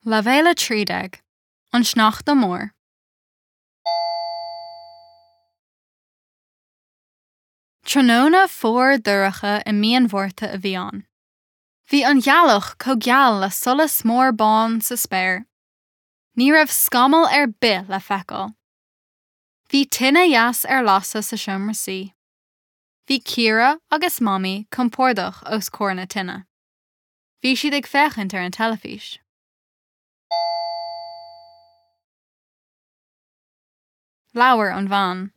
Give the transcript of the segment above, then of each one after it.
Leibhéal 13, An Sneachta Mór. Tráthnóna fuar dorcha i mí an Mhárta a bhí ann. Bhí an ghealach chomh geal le solas mór bán sa spéir. Ní raibh scamall ar bith le feiceáil. Bhí tine dheas ar lasadh sa seomra suí. Bhí Ciara agus Mamaí compordach os comhair na tine. Bhí siad ag féachaint ar an teilifís. Labhair an bhean.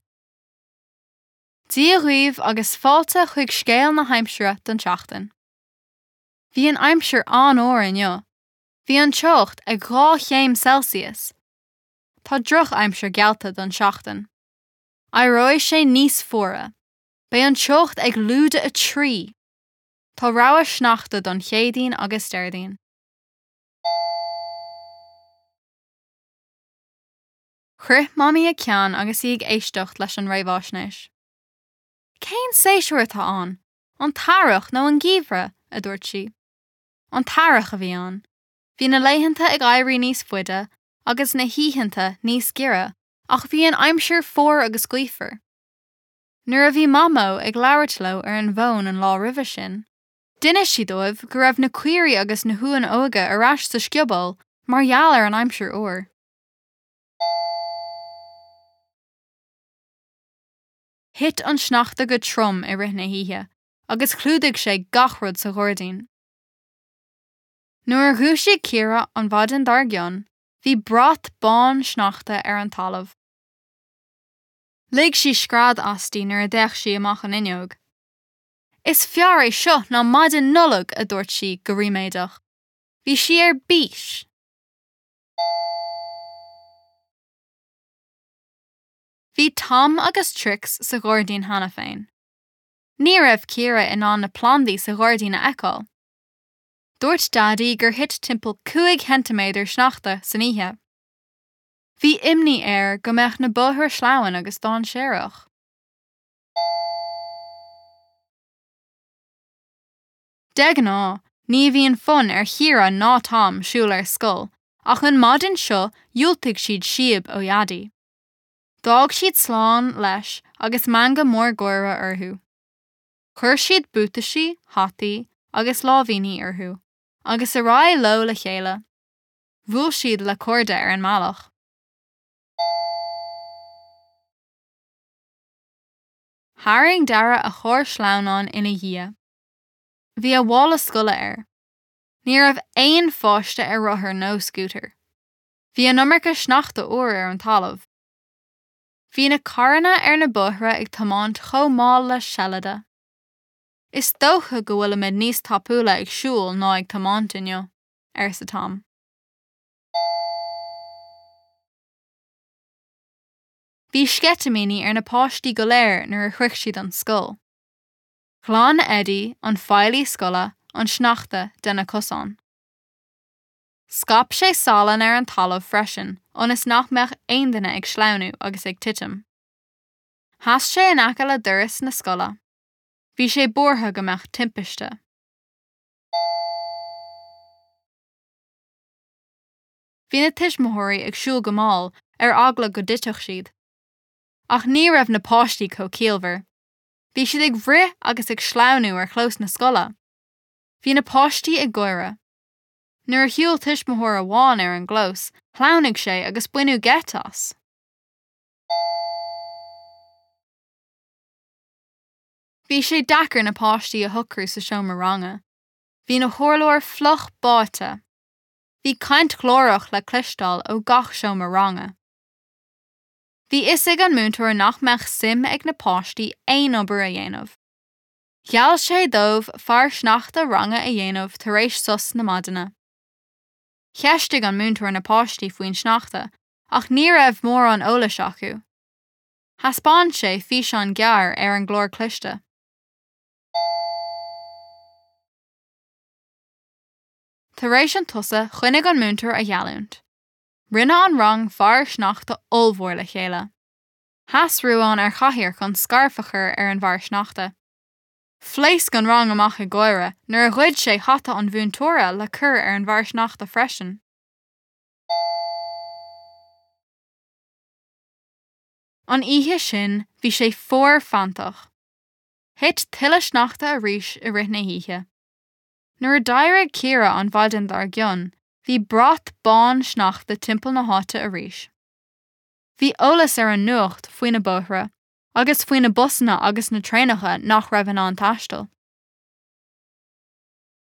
Dia dhaoibh agus fáilte chuig scéal na haimsire don tseachtain. Bhí an aimsir an-fhuar inniu. Bhí an teocht ag 2 chéim Celsius. Tá drochaimsir geallta don seachtain. Éireoidh sé níos fuaire. Beidh an teocht ag lúide 3! Tá rabhadh sneachta don Chéadaoin agus Déardaoin. Chroith Mamaí a ceann agus í ag éisteacht leis an réamhaisnéis. Cén séasúr atá ann? An t-earrach nó an geimhreadh? a dúirt sí. An t-earrach a bhí ann. Bhí na laethanta ag éirí níos faide agus na hoícheanta níos giorra ach bhí an aimsir fuar agus gaofar. Nuair a bhí Mamó ag labhairt leo ar an bhfón an lá roimhe sin, d'inis sí dóibh go raibh na caoirigh agus na huain óga ar ais sa scioból mar gheall ar an aimsir fhuar. Thit an sneachta go trom i rith na hoíche agus chlúdaigh sé gach rud sa ghairdín. Nuair a dhúisigh Ciara an mhaidin dár gcionn, bhí brat bán sneachta ar an talamh. Lig sí scread aisti nuair a d'fhéach sí amach an fhuinneog. Is fearr é seo ná maidin Nollag, a dúirt sí go ríméadach. Bhí sí ar bís! Bhí Tom agus Trix sa ghairdín cheana féin. Ní raibh Ciara in ann na plandaí sa ghairdín a fheiceáil. Dúirt Daidí gur thit timpeall 5 cheintiméadar sneachta san oíche. Bhí imní air go mbeadh na bóithre sleamhain agus dainséarach. De ghnáth, ní bhíonn fonn ar Chiara ná Tom siúl ar scoil ach an maidin seo dhiúltaigh siad síob ó Dhaidí. D'fhág siad slán leis agus meangadh mór gáire orthu. Chuir siad buataisí, hataí agus láimhíní orthu agus ar aghaidh leo le chéile. Bhuail siad le cairde ar an mbealach. Tharraing Dara a charr sleamhnáin ina dhiaidh. Bhí a mhála scoile air. Ní raibh aon pháiste ar rothar nó scútar. Bhí an iomarca sneachta úr ar an talamh. Bhí na carranna ar na bóithre ag tiomáint chomh mall le seilide. Is dócha go bhfuilimid níos tapúla ag siúl ná ag tiomáint inniu. arsa Tom. Bhí sceitimíní ar na páistí go léir nuair a shroich siad an scoil. Ghlan Eddie, an feighlí scoile, an sneachta de na cosáin. Scaip sé salann ar an talamh freisin ionas nach mbeadh aon duine ag sleamhnú agus ag titim. Sheas sé in aice le doras na scoile. Bhí sé buartha go mbeadh timpiste. Bhí na tuismitheoirí ag siúl go mall ar eagla go dtitfeadh siad. Ach ní raibh na páistí chomh ciallmhar. Bhí siad ag rith agus ag sleamhnú ar chlós na scoile. Bhí na páistí ag gáire. Nuair a shiúil tuismitheoir amháin ar an gclós, shleamhnaigh sé agus baineadh geit as. Bhí sé deacair na páistí a shocrú sa seomra ranga. Bhí na hurláir fliuch báite. Bhí caint ghlórach le cloisteáil ó gach seomra ranga. Bhí fhios ag an múinteoir nach mbeadh suim ag na páistí aon obair a dhéanamh. Gheall sé dóibh fear sneachta ranga a dhéanamh tar éis sos na maidine. Cheistigh an múinteoir na páistí faoin sneachta ach ní raibh mórán eolais acu. Thaispeáin sé físeán gearr ar an gclár cliste. Tar éis an tsosa, choinnigh an múinteoir a gheallúint. Rinne an rang fear sneachta ollmhór le chéile. Sheas Ruán ar chathaoir chun scairf a chur ar an bhfear sneachta. Phléasc an rang amach ag gáire nuair a ghoid sé hata an mhúinteora le cur ar an bhfear sneachta freisin. An oíche sin bhí sé fuar feanntach. Thit tuilleadh sneachta arís i rith na hoíche. Nuair a d'éirigh Ciara an mhaidin dár gcionn bhí brat bán sneachta timpeall na háite arís. Bhí eolas ar an nuacht faoi na bóithre agus faoi na busanna agus na traenacha nach raibh in ann taisteal.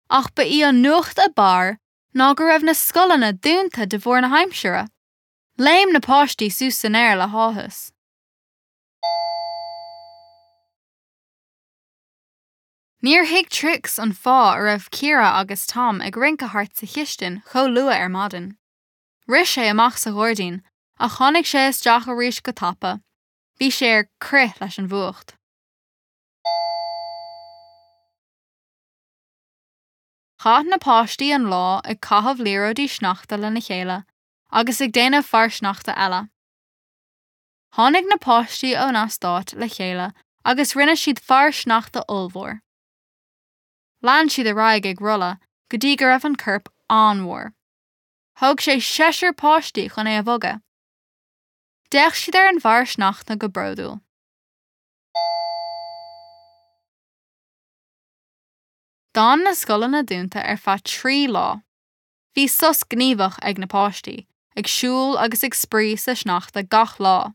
Ach ba í an nuacht ab fhearr ná go raibh na scoileanna dúnta de bharr na haimsire. Léim na páistí suas san aer le háthas. Níor thuig Trix an fáth a raibh Ciara agus Tom ag rince thart sa chistin chomh luath ar maidin. Rith sé amach sa ghairdín ach tháinig sé isteach arís go tapa, bhí sé ar crith leis an bhfuacht. Chaith na páistí an lá ag caitheamh liathróidí sneachta lena chéile agus ag déanamh fear sneachta eile. Tháinig na páistí ón eastát le chéile agus rinne siad fear sneachta ollmhór. Lean siad ar aghaidh ag rolladh go dtí go raibh an corp an-mhór. Thóg sé seisear páistí chun é a bhogadh. D'fhéach siad ar an bhfear sneachta go bródúil. D'fhan na scoileanna dúnta ar feadh 3 lá. Bhí sos gníomhach ag na páistí, ag siúl agus ag spraoi sa sneachta gach lá.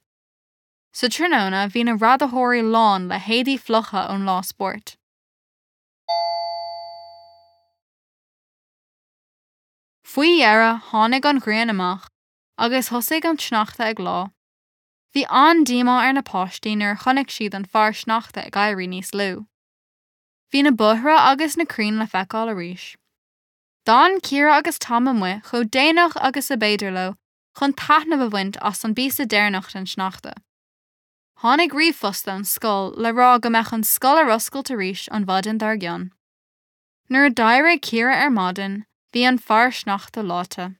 Sa tráthnóna bhí na radaitheoirí lán le héadaí fliucha ón lá spóirt. Faoi dheireadh tháinig an ghrian amach agus thosaigh an sneachta ag leá. Bhí an-díomá ar na páistí nuair a chonaic siad an fear sneachta ag éirí níos lú. Bhí na bóithre agus na crainn le feiceáil arís. D'fhan Ciara agus Tom amuigh chomh déanach agus ab fhéidir leo chun taitneamh a bhaint as an bpíosa deireanach den sneachta. Tháinig ríomhphost ón scoil le rá go mbeadh an scoil ar oscailt arís an mhaidin dár gcionn. Nuair a d'éirigh Ciara ar maidin, bhí an fear sneachta leáite.